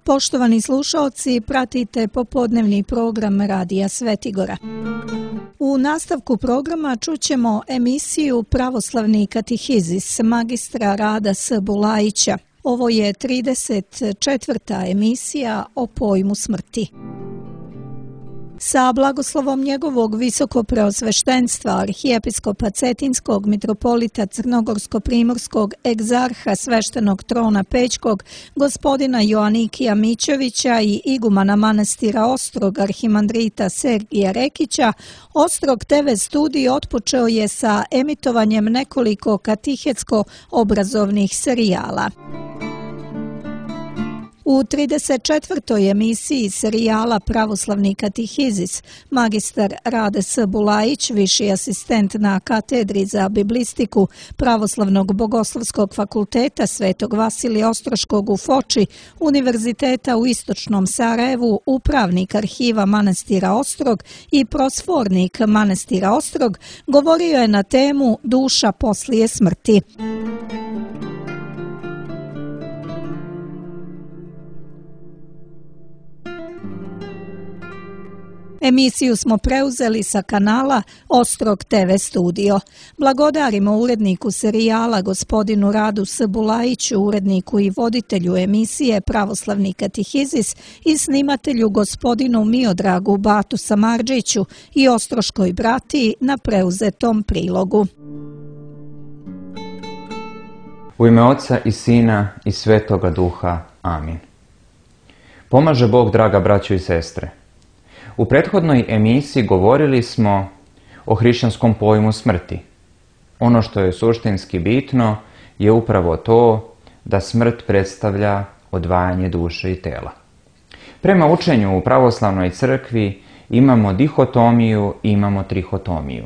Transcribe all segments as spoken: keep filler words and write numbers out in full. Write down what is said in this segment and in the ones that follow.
Poštovani slušaoci, pratite popodnevni program Radija Svetigora. U nastavku programa čućemo emisiju Pravoslavni katehizis magistra Rada S. Bulajića. Ovo je trideset četvrta emisija o pojmu smrti. Sa blagoslovom njegovog visokopreosveštenstva arhijepiskopa Cetinskog mitropolita Crnogorsko-primorskog egzarha sveštenog trona Pećkog gospodina Joanikija Mićevića i igumana manastira Ostrog arhimandrita Sergija Rekića, Ostrog te ve studij otpočeo je sa emitovanjem nekoliko katehetsko-obrazovnih serijala. U trideset četvrtoj emisiji serijala Pravoslavni katehizis magistar Rade S. Bulajić, viši asistent na katedri za biblistiku Pravoslavnog bogoslovskog fakulteta Svetog Vasilija Ostroškog u Foči, Univerziteta u Istočnom Sarajevu, upravnik arhiva manastira Ostrog i prosfornik manastira Ostrog, govorio je na temu Duša poslije smrti. Emisiju smo preuzeli sa kanala Ostrog te ve studio. Blagodarimo uredniku serijala gospodinu Radu S. Bulajiću, uredniku i voditelju emisije Pravoslavni katehizis i snimatelju gospodinu Miodragu Batu Samardžiću i ostroškoj bratiji na preuzetom prilogu. U ime Oca i Sina i Svetoga Duha. Amin. Pomaže Bog, draga braćo i sestre. U prethodnoj emisiji govorili smo o hrišćanskom pojmu smrti. Ono što je suštinski bitno je upravo to da smrt predstavlja odvajanje duše i tela. Prema učenju u pravoslavnoj crkvi imamo dihotomiju i imamo trihotomiju.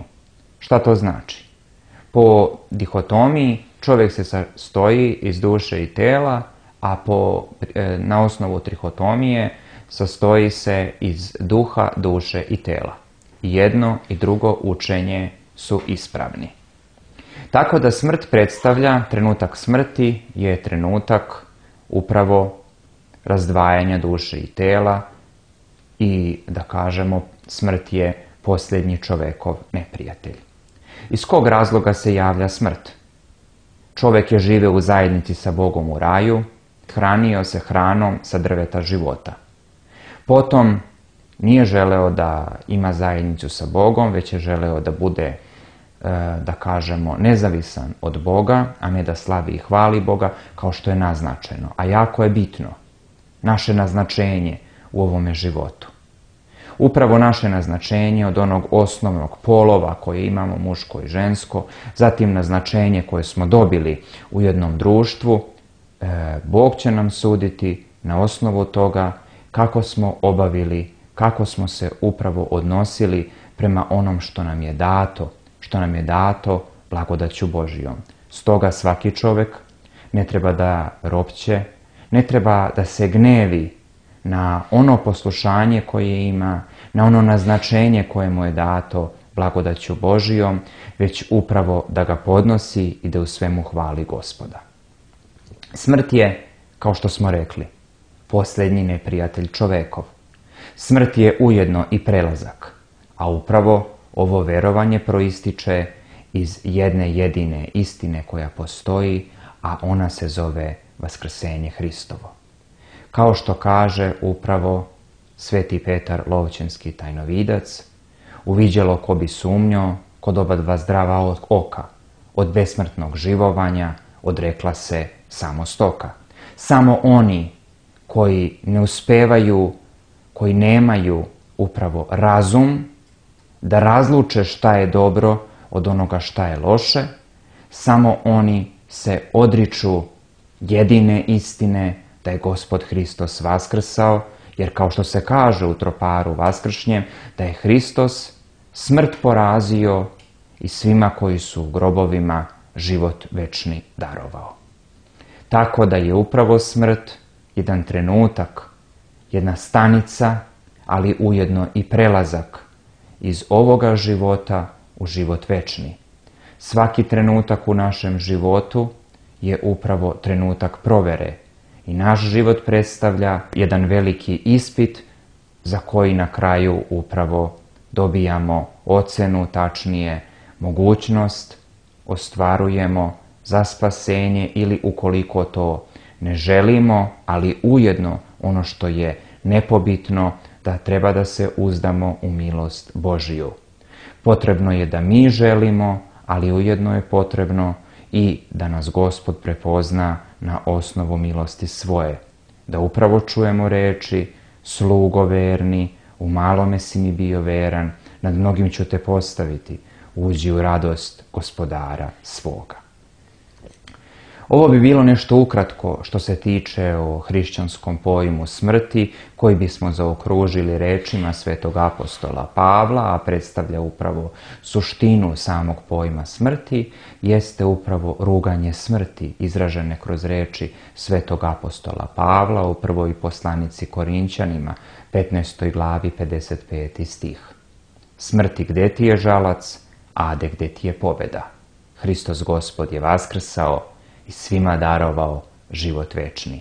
Šta to znači? Po dihotomiji čovjek se sastoji iz duše i tela, a po, na osnovu trihotomije sastoji se iz duha, duše i tela. Jedno i drugo učenje su ispravni. Tako da smrt predstavlja, trenutak smrti je trenutak upravo razdvajanja duše i tela i da kažemo smrt je posljednji čovekov neprijatelj. Iz kog razloga se javlja smrt? Čovjek je živio u zajednici sa Bogom u raju, hranio se hranom sa drveta života. Potom nije želeo da ima zajednicu sa Bogom, već je želeo da bude, da kažemo, nezavisan od Boga, a ne da slavi i hvali Boga, kao što je naznačeno. A jako je bitno naše naznačenje u ovome životu. Upravo naše naznačenje od onog osnovnog polova koje imamo, muško i žensko, zatim naznačenje koje smo dobili u jednom društvu, Bog će nam suditi na osnovu toga kako smo obavili, kako smo se upravo odnosili prema onom što nam je dato, što nam je dato blagodaću Božijom. Stoga svaki čovjek ne treba da ropće, ne treba da se gnevi na ono poslušanje koje ima, na ono naznačenje koje mu je dato blagodaću Božijom, već upravo da ga podnosi i da u svemu hvali Gospoda. Smrt je, kao što smo rekli, posljednji neprijatelj čovekov. Smrt je ujedno i prelazak, a upravo ovo verovanje proističe iz jedne jedine istine koja postoji, a ona se zove Vaskrsenje Hristovo. Kao što kaže upravo sveti Petar Lovćenski tajnovidac, uviđalo ko bi sumnjo, kod oba dva zdrava oka, od besmrtnog živovanja odrekla se samo stoka. Samo oni koji ne uspevaju, koji nemaju upravo razum da razluče šta je dobro od onoga šta je loše, samo oni se odriču jedine istine da je Gospod Hristos vaskrsao, jer kao što se kaže u troparu vaskršnjem, da je Hristos smrt porazio i svima koji su u grobovima život večni darovao. Tako da je upravo smrt jedan trenutak, jedna stanica, ali ujedno i prelazak iz ovoga života u život večni. Svaki trenutak u našem životu je upravo trenutak provere I naš život predstavlja jedan veliki ispit za koji na kraju upravo dobijamo ocenu, tačnije mogućnost, ostvarujemo za spasenje ili ukoliko to ne želimo, ali ujedno ono što je nepobitno, da treba da se uzdamo u milost Božiju. Potrebno je da mi želimo, ali ujedno je potrebno i da nas Gospod prepozna na osnovu milosti svoje. Da upravo čujemo reči: slugo verni, u malome si mi bio veran, nad mnogim ću te postaviti, uđi u radost gospodara svoga. Ovo bi bilo nešto ukratko što se tiče o hrišćanskom pojmu smrti, koji bismo zaokružili rečima svetog apostola Pavla, a predstavlja upravo suštinu samog pojma smrti, jeste upravo ruganje smrti, izražene kroz reči svetog apostola Pavla u prvoj poslanici Korinćanima, petnaestoj glavi, pedeset peti stih. Smrti, gde ti je žalac, ade, gde ti je pobjeda? Hristos Gospod je vaskrsao i svima darovao život večni.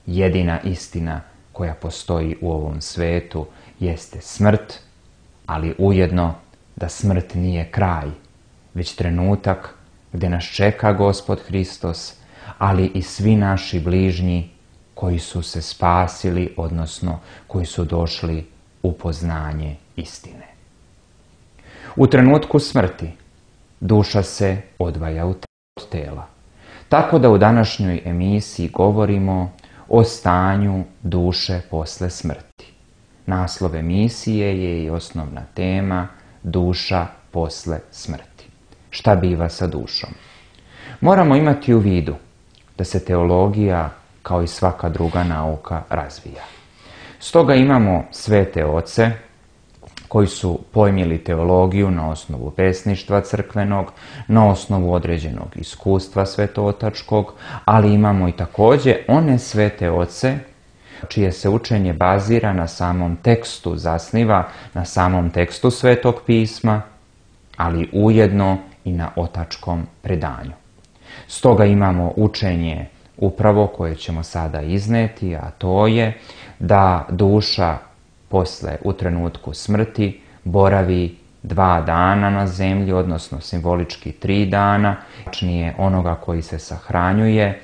Jedina istina koja postoji u ovom svetu jeste smrt, ali ujedno da smrt nije kraj, već trenutak gdje nas čeka Gospod Hristos, ali i svi naši bližnji koji su se spasili, odnosno koji su došli u poznanje istine. U trenutku smrti duša se odvaja od tela. Tako da u današnjoj emisiji govorimo o stanju duše posle smrti. Naslov emisije je i osnovna tema duša posle smrti. Šta biva sa dušom? Moramo imati u vidu da se teologija, kao i svaka druga nauka, razvija. Stoga imamo svete oce koji su pojmili teologiju na osnovu pesništva crkvenog, na osnovu određenog iskustva svetotačkog, ali imamo i također one svete oce čije se učenje bazira na samom tekstu, zasniva na samom tekstu Svetog pisma, ali ujedno i na otačkom predanju. Stoga imamo učenje upravo koje ćemo sada izneti, a to je da duša posle, u trenutku smrti, boravi dva dana na zemlji, odnosno simbolički tri dana, tačnije onoga koji se sahranjuje,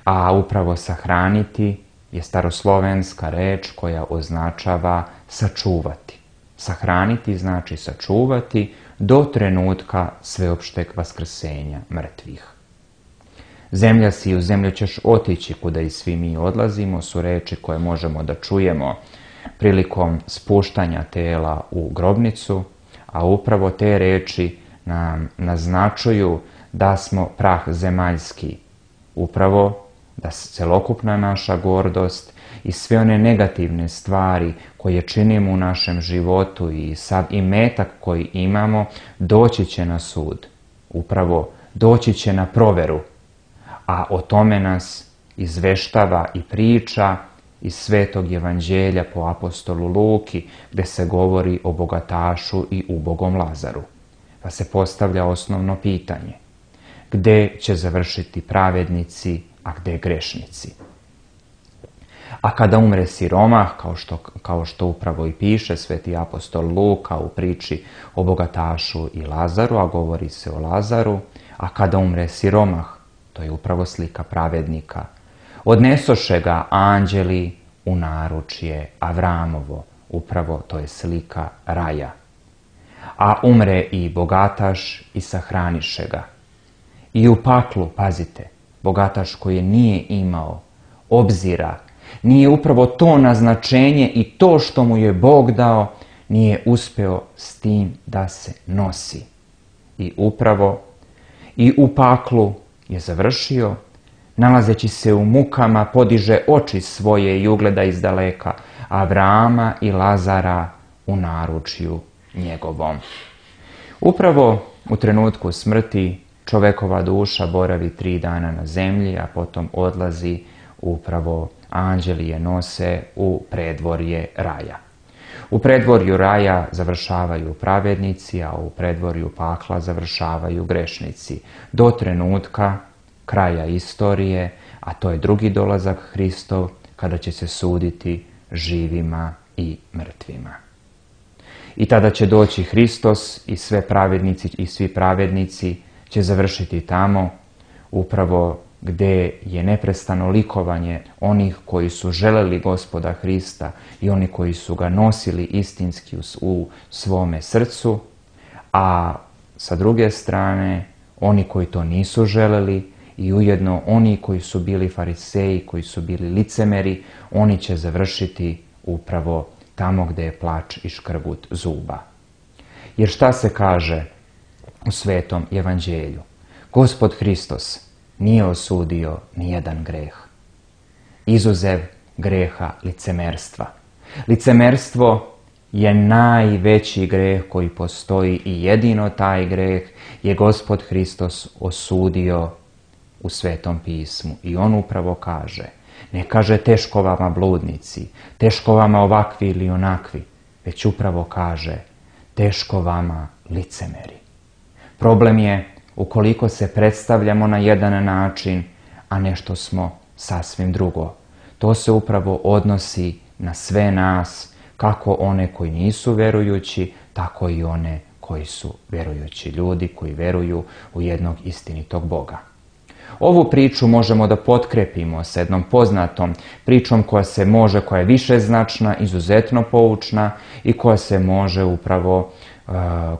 a upravo sahraniti je staroslovenska reč koja označava sačuvati. Sahraniti znači sačuvati do trenutka sveopšteg vaskrsenja mrtvih. Zemlja si, u zemlju ćeš otići, kuda i svi mi odlazimo, su reči koje možemo da čujemo prilikom spuštanja tela u grobnicu, a upravo te reči nam naznačuju da smo prah zemaljski. Upravo da celokupna naša gordost i sve one negativne stvari koje činimo u našem životu i sav imetak koji imamo doći će na sud. Upravo doći će na proveru, a o tome nas izveštava i priča iz Svetog evanđelja po apostolu Luki, gdje se govori o bogatašu i ubogom Lazaru. Pa se postavlja osnovno pitanje: gde će završiti pravednici, a gde grešnici? A kada umre siromah, kao što, kao što upravo i piše sveti apostol Luka u priči o bogatašu i Lazaru, a govori se o Lazaru, a kada umre siromah, to je upravo slika pravednika, odnesoše ga anđeli u naručje Avramovo, upravo to je slika raja. A umre i bogataš i sahraniše ga. I u paklu, pazite, bogataš koji nije imao obzira, nije upravo to naznačenje i to što mu je Bog dao, nije uspeo s tim da se nosi. I upravo i u paklu je završio, nalazeći se u mukama, podiže oči svoje i ugleda izdaleka Avrama i Lazara u naručju njegovom. Upravo u trenutku smrti čovekova duša boravi tri dana na zemlji, a potom odlazi, upravo anđeli je nose u predvorje raja. U predvorju raja završavaju pravednici, a u predvorju pakla završavaju grešnici. Do trenutka kraja istorije, a to je drugi dolazak Hristov, kada će se suditi živima i mrtvima. I tada će doći Hristos i sve pravednici i svi pravednici će završiti tamo, upravo gdje je neprestano likovanje onih koji su želeli Gospoda Hrista i oni koji su ga nosili istinski u svome srcu, a sa druge strane oni koji to nisu želeli i ujedno oni koji su bili fariseji, koji su bili licemeri, oni će završiti upravo tamo gdje je plač i škrgut zuba. Jer šta se kaže u Svetom evanđelju? Gospod Hristos nije osudio nijedan greh, izuzev greha licemerstva. Licemerstvo je najveći greh koji postoji i jedino taj greh je Gospod Hristos osudio u Svetom pismu. I on upravo kaže, ne kaže teško vama bludnici, teško vama ovakvi ili onakvi, već upravo kaže teško vama licemeri. Problem je ukoliko se predstavljamo na jedan način, a nešto smo sasvim drugo. To se upravo odnosi na sve nas, kako one koji nisu verujući, tako i one koji su verujući ljudi, koji veruju u jednog istinitog Boga. Ovu priču možemo da potkrepimo sa jednom poznatom pričom koja se može, koja je višeznačna, izuzetno poučna i koja se može upravo, uh,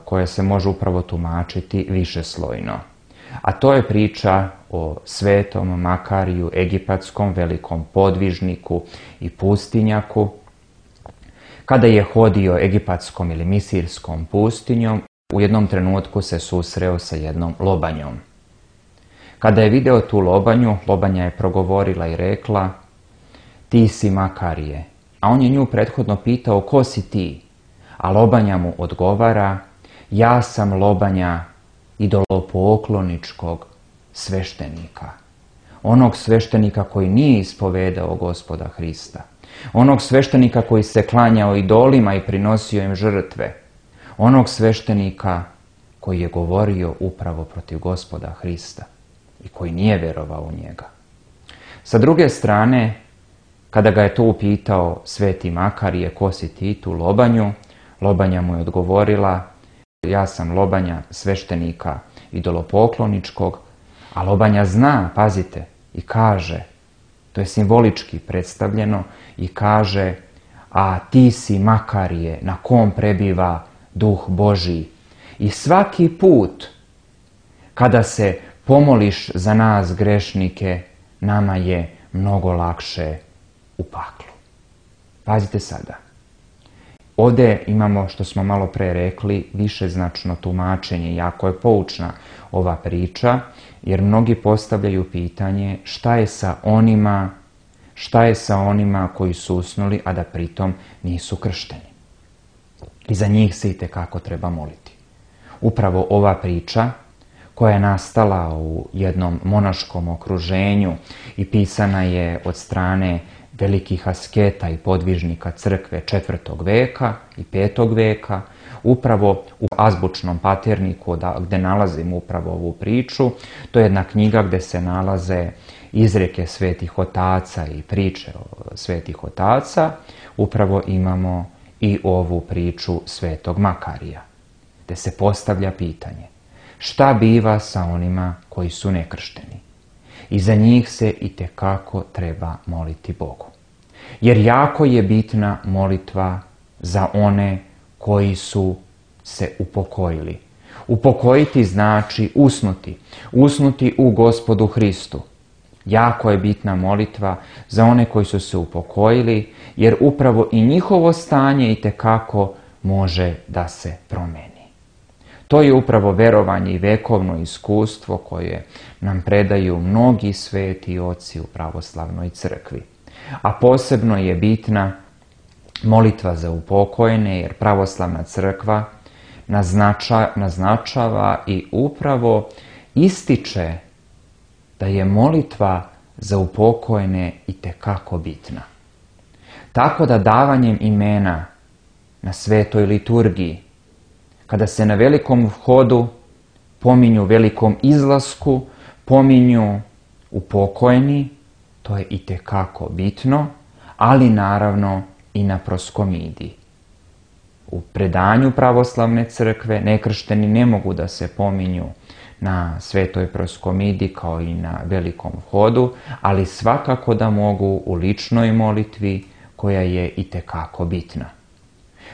koja se može upravo tumačiti višeslojno. A to je priča o svetom Makariju, egipatskom velikom podvižniku i pustinjaku. Kada je hodio egipatskom ili misirskom pustinjom, u jednom trenutku se susreo sa jednom lobanjom. Kada je video tu lobanju, lobanja je progovorila i rekla, ti si Makarije. A on je nju prethodno pitao, ko si ti? A lobanja mu odgovara, ja sam lobanja idolopokloničkog sveštenika. Onog sveštenika koji nije ispovedao Gospoda Hrista. Onog sveštenika koji se klanjao idolima i prinosio im žrtve. Onog sveštenika koji je govorio upravo protiv Gospoda Hrista i koji nije vjerovao u njega. Sa druge strane, kada ga je to upitao sveti Makarije, ko si ti, tu lobanju, lobanja mu je odgovorila, ja sam lobanja sveštenika idolopokloničkog, a lobanja zna, pazite, i kaže, to je simbolički predstavljeno, i kaže, a ti si Makarije na kom prebiva Duh Božji. I svaki put kada se pomoliš za nas grešnike, nama je mnogo lakše u paklu. Pazite sada. Ovdje imamo, što smo malo pre rekli, višeznačno tumačenje. Jako je poučna ova priča, jer mnogi postavljaju pitanje šta je sa onima, šta je sa onima koji su usnuli, a da pritom nisu kršteni. I za njih se itekako treba moliti. Upravo ova priča, koja je nastala u jednom monaškom okruženju i pisana je od strane velikih asketa i podvižnika crkve četvrtog veka i petog veka, upravo u azbučnom paterniku gdje nalazimo upravo ovu priču. To je jedna knjiga gdje se nalaze izreke svetih otaca i priče o svetih otaca. Upravo imamo i ovu priču svetog Makarija, gdje se postavlja pitanje šta biva sa onima koji su nekršteni. I za njih se itekako treba moliti Bogu. Jer jako je bitna molitva za one koji su se upokojili. Upokojiti znači usnuti. Usnuti u Gospodu Hristu. Jako je bitna molitva za one koji su se upokojili, jer upravo i njihovo stanje itekako može da se promeni. To je upravo verovanje i vekovno iskustvo koje nam predaju mnogi sveti oci u pravoslavnoj crkvi. A posebno je bitna molitva za upokojene, jer pravoslavna crkva naznača, naznačava i upravo ističe da je molitva za upokojene itekako bitna. Tako da davanjem imena na svetoj liturgiji, kada se na velikom vhodu pominju velikom izlasku, pominju upokojeni, to je itekako bitno, ali naravno i na proskomidiji. U predanju pravoslavne crkve nekršteni ne mogu da se pominju na svetoj proskomidiji kao i na velikom hodu, ali svakako da mogu u ličnoj molitvi koja je itekako bitna.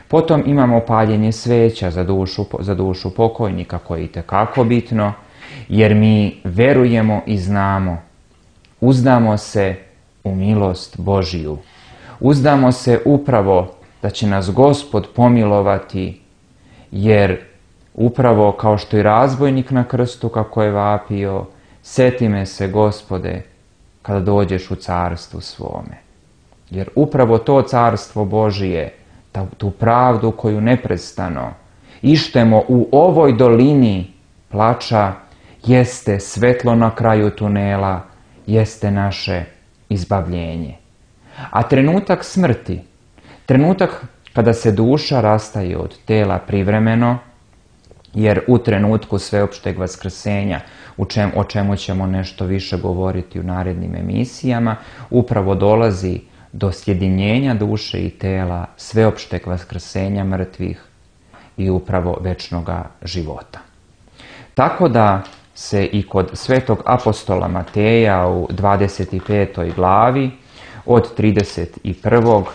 Potom imamo paljenje sveća za dušu, za dušu pokojnika koje je itekako bitno, jer mi verujemo i znamo, uzdamo se u milost Božiju, uzdamo se upravo da će nas Gospod pomilovati, jer upravo kao što i razbojnik na krstu kako je vapio, seti me se Gospode kada dođeš u carstvu svome. Jer upravo to carstvo Božije, tu pravdu koju neprestano ištemo u ovoj dolini plača, jeste svetlo na kraju tunela, jeste naše izbavljenje. A trenutak smrti, trenutak kada se duša rastaje od tela privremeno, jer u trenutku sveopšteg vaskrsenja, u čem, o čemu ćemo nešto više govoriti u narednim emisijama, upravo dolazi do sjedinjenja duše i tela, sveopšteg vaskrsenja mrtvih i upravo večnoga života. Tako da se i kod svetog apostola Mateja u dvadeset petoj glavi od trideset prvog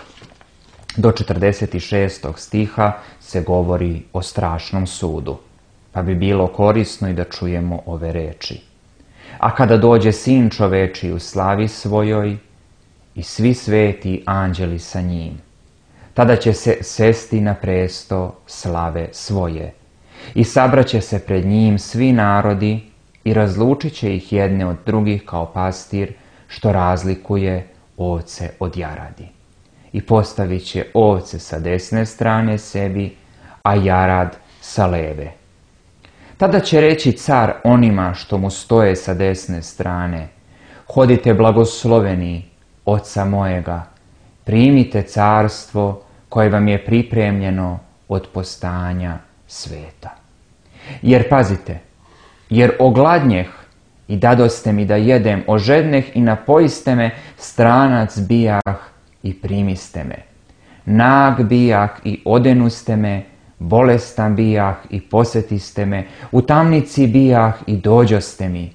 do četrdeset šestog stiha se govori o strašnom sudu, pa bi bilo korisno i da čujemo ove reči. A kada dođe Sin čoveči u slavi svojoj i svi sveti anđeli sa njim, tada će se sesti na presto slave svoje i sabraće se pred njim svi narodi i razlučit će ih jedne od drugih kao pastir što razlikuje ovce od jaradi. I postavit će ovce sa desne strane sebi, a jarad sa leve. Tada će reći car onima što mu stoje sa desne strane: hodite blagosloveni Oca mojega, primite carstvo koje vam je pripremljeno od postojanja sveta. Jer pazite, jer ogladnjeh i dadoste mi da jedem, ožedneh i napojiste me, stranac bijah i primiste me. Nag bijah i odenuste me, bolestan bijah i posetiste me, u tamnici bijah i dođoste mi.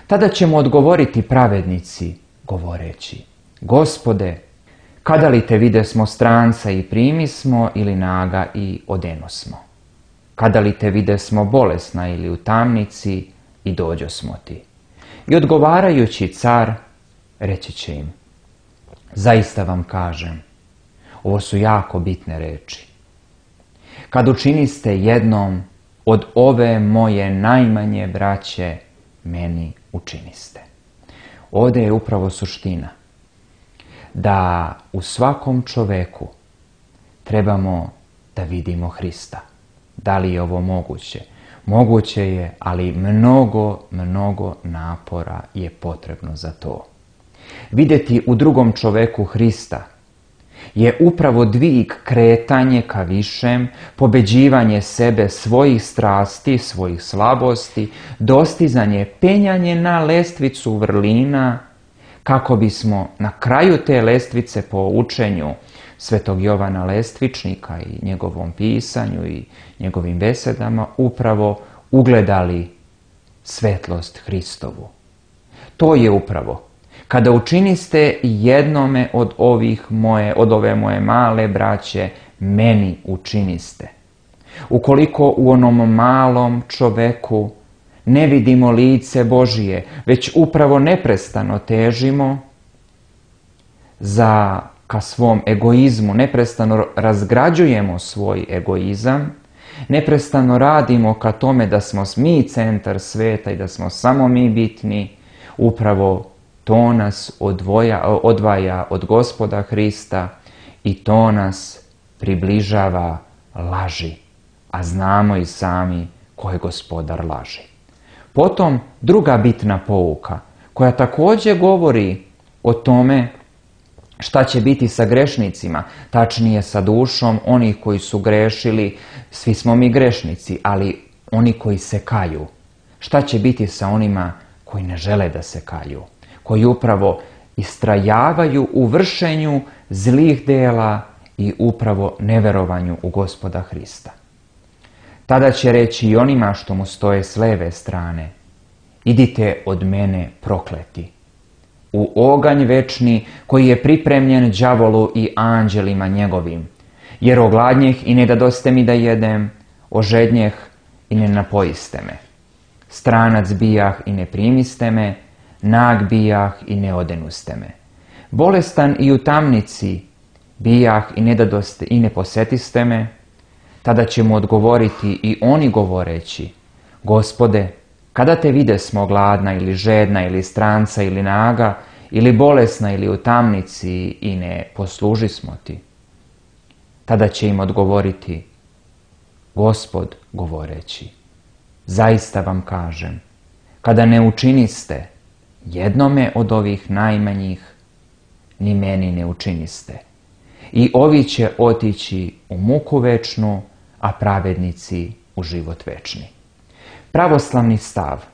Tada će mu odgovoriti pravednici, govoreći: Gospode, kada li te videsmo stranca i primismo, ili naga i odenosmo? Kada li te videsmo bolesna ili u tamnici i dođosmo ti? I odgovarajući car, reći će im: zaista vam kažem, ovo su jako bitne reči. Kad učiniste jednom od ove moje najmanje braće, meni učiniste. Ovdje je upravo suština da u svakom čoveku trebamo da vidimo Hrista. Da li je ovo moguće? Moguće je, ali mnogo, mnogo napora je potrebno za to. Vidjeti u drugom čoveku Hrista je upravo dvig, kretanje ka višem, pobeđivanje sebe, svojih strasti, svojih slabosti, dostizanje, penjanje na lestvicu vrlina, kako bismo na kraju te lestvice po učenju svetog Jovana Lestvičnika i njegovom pisanju i njegovim besedama upravo ugledali svetlost Hristovu. To je upravo kada učiniste jednome od ovih moje, od ove moje male braće, meni učiniste. Ukoliko u onom malom čoveku ne vidimo lice Božije, već upravo neprestano težimo za ka svom egoizmu, neprestano razgrađujemo svoj egoizam, neprestano radimo ka tome da smo mi centar sveta i da smo samo mi bitni, upravo to nas odvoja, odvaja od Gospoda Hrista i to nas približava laži, a znamo i sami ko je gospodar laži. Potom druga bitna pouka koja također govori o tome šta će biti sa grešnicima, tačnije sa dušom onih koji su grešili. Svi smo mi grešnici, ali oni koji se kaju. Šta će biti sa onima koji ne žele da se kaju, koji upravo istrajavaju u vršenju zlih dela i upravo neverovanju u Gospoda Hrista. Tada će reći i onima što mu stoje s leve strane: idite od mene prokleti, u oganj večni koji je pripremljen đavolu i anđelima njegovim, jer ogladnjeh i ne dadoste mi da jedem, ožednjeh i ne napojiste me, stranac bijah i ne primiste me, nag bijah i ne odenuste me, bolestan i u tamnici bijah i ne dadoste i ne posetiste me. Tada će mu odgovoriti i oni govoreći: Gospode, kada te videsmo gladna ili žedna ili stranca ili naga ili bolesna ili u tamnici i ne poslužismo ti? Tada će im odgovoriti Gospod govoreći: zaista vam kažem, kada ne učiniste jednome od ovih najmanjih, ni meni ne učiniste. I ovi će otići u muku večnu, a pravednici u život večni. Pravoslavni stav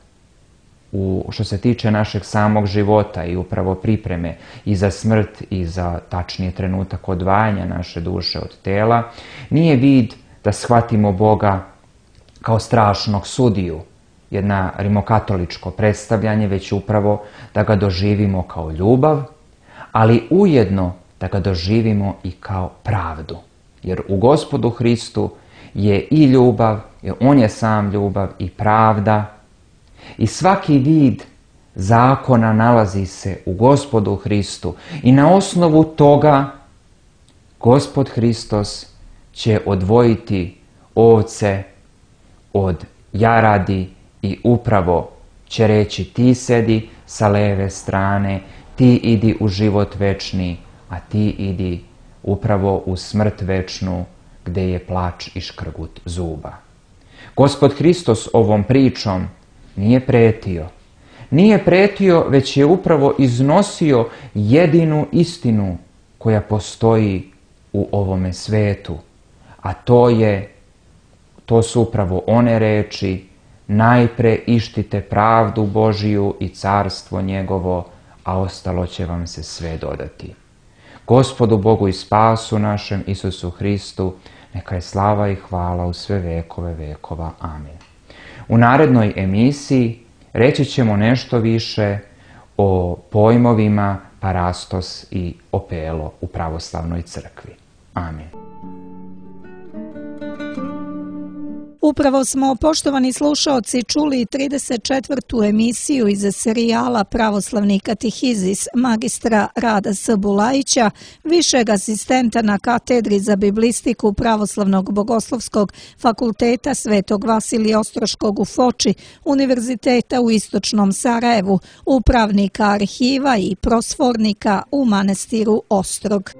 u što se tiče našeg samog života i upravo pripreme i za smrt i za tačnije trenutak odvajanja naše duše od tela nije vid da shvatimo Boga kao strašnog sudiju, jedna rimokatoličko predstavljanje, već upravo da ga doživimo kao ljubav, ali ujedno da ga doživimo i kao pravdu. Jer u Gospodu Hristu je i ljubav, jer on je sam ljubav, i pravda. I svaki vid zakona nalazi se u Gospodu Hristu. I na osnovu toga Gospod Hristos će odvojiti ovce od jaradi i upravo će reći: ti sedi sa leve strane, ti idi u život večni, a ti idi upravo u smrt večnu, gdje je plač i škrgut zuba. Gospod Hristos ovom pričom nije pretio. Nije pretio, već je upravo iznosio jedinu istinu koja postoji u ovome svetu. A to je, to su upravo one reči: najpre ištite pravdu Božiju i carstvo njegovo, a ostalo će vam se sve dodati. Gospodu Bogu i spasu našem Isusu Hristu, neka je slava i hvala u sve vekove vekova. Amin. U narednoj emisiji reći ćemo nešto više o pojmovima parastos i opelo u pravoslavnoj crkvi. Amin. Upravo smo, poštovani slušaoci, čuli trideset četvrtu emisiju iz serijala Pravoslavni katehizis magistra Rada S. Bulajića, višeg asistenta na katedri za biblistiku Pravoslavnog bogoslovskog fakulteta Svetog Vasilija Ostroškog u Foči, Univerziteta u Istočnom Sarajevu, upravnika arhiva i prosfornika u manastiru Ostrog.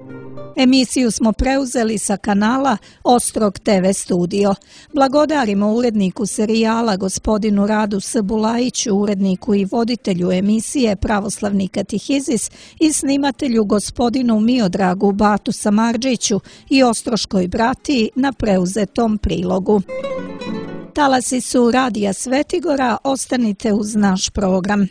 Emisiju smo preuzeli sa kanala Ostrog te ve studio. Blagodarimo uredniku serijala gospodinu Radu S. Bulajiću, uredniku i voditelju emisije Pravoslavni katehizis i snimatelju gospodinu Miodragu Batu Samardžiću i Ostroškoj bratiji na preuzetom prilogu. Talasi su Radija Svetigora, ostanite uz naš program.